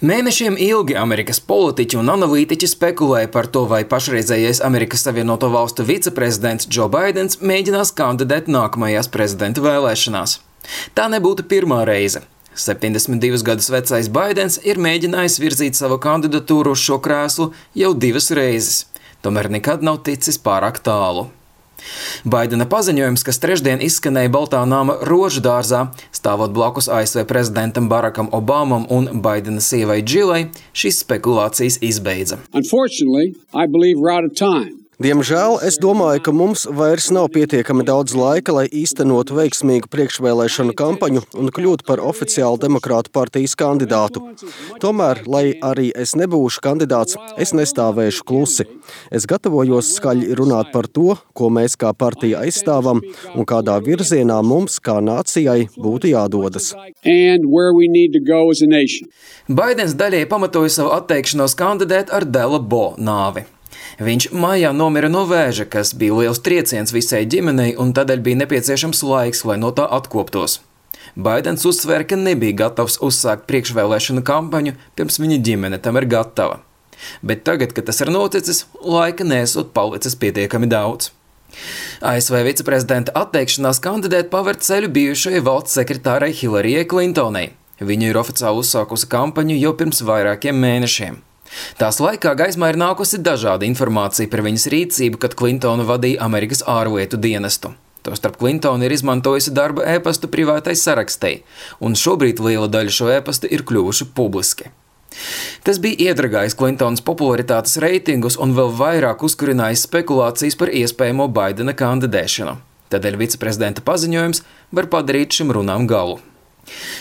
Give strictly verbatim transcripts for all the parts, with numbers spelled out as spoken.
Mēnešiem ilgi Amerikas politiķi un analītiķi spekulēja par to, vai pašreizējais Amerikas Savienoto Valstu viceprezidents Džo Baidens mēģinās kandidēt nākamajās prezidenta vēlēšanās. Tā nebūtu pirmā reize. septiņdesmit divus gadus vecais Baidens ir mēģinājis virzīt savu kandidatūru uz šo krēslu jau divas reizes, tomēr nekad nav ticis pārāk tālu. Baidena paziņojums, kas trešdien izskanēja Baltā nama Rožu dārzā, stāvot blakus A S V prezidentam Barakam Obamam un Baidena sievai Džilai, šīs spekulācijas izbeidza. Diemžēl es domāju, ka mums vairs nav pietiekami daudz laika, lai īstenotu veiksmīgu priekšvēlēšanu kampaņu un kļūtu par oficiālu demokrātu partijas kandidātu. Tomēr, lai arī es nebūšu kandidāts, es nestāvēšu klusi. Es gatavojos skaļi runāt par to, ko mēs kā partija aizstāvam un kādā virzienā mums kā nācijai būtu jādodas. Baidens daļai pamatoja savu atteikšanos kandidēt ar Dela Bo nāvi. Viņš maijā nomira no vēža, kas bija liels trieciens visai ģimenei, un tādēļ bija nepieciešams laiks, lai no tā atkoptos. Baidens uzsvēra, ka nebija gatavs uzsākt priekšvēlēšanu kampaņu, pirms viņa ģimene tam ir gatava. Bet tagad, kad tas ir noticis, laika nesot palicis pietiekami daudz. A S V viceprezidenta atteikšanās kandidēt paver ceļu bijušajai valsts sekretārai Hillaryjai Clintonai. Viņa ir oficiāli uzsākusi kampaņu jau pirms vairākiem mēnešiem. Tās laikā gaismā ir nākusi dažāda informācija par viņas rīcību, kad Clintona vadīja Amerikas ārlietu dienestu. Tostarp Clintona ir izmantojusi darba ēpastu privātai sarakstei, un šobrīd liela daļa šo ēpastu ir kļuvuši publiski. Tas bija iedragājis Clintonas popularitātes reitingus un vēl vairāk uzkurinājis spekulācijas par iespējamo Baidena kandidēšanu. Tādēļ viceprezidenta paziņojums var padarīt šim runām galu.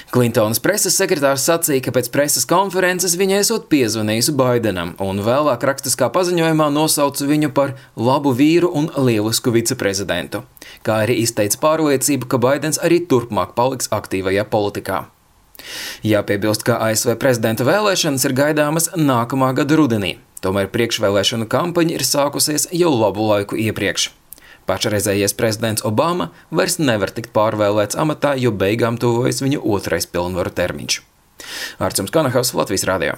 Clintonas preses sekretārs sacīja, ka pēc preses konferences viņa esot piezvanījusi Baidenam un vēlāk rakstiskā paziņojumā nosauca viņu par labu vīru un lielisku viceprezidentu, kā arī izteica pārliecību, ka Baidens arī turpmāk paliks aktīvajā politikā. Jāpiebilst, ka A S V prezidenta vēlēšanas ir gaidāmas nākamā gada rudenī, tomēr priekšvēlēšanu kampaņa ir sākusies jau labu laiku iepriekš. Pašreizējais prezidents Obama vairs nevar tikt pārvēlēts amatā, jo beigām tuvojas viņa otrais pilnvaru termiņš. Artjums Kanahavs, Latvijas radio.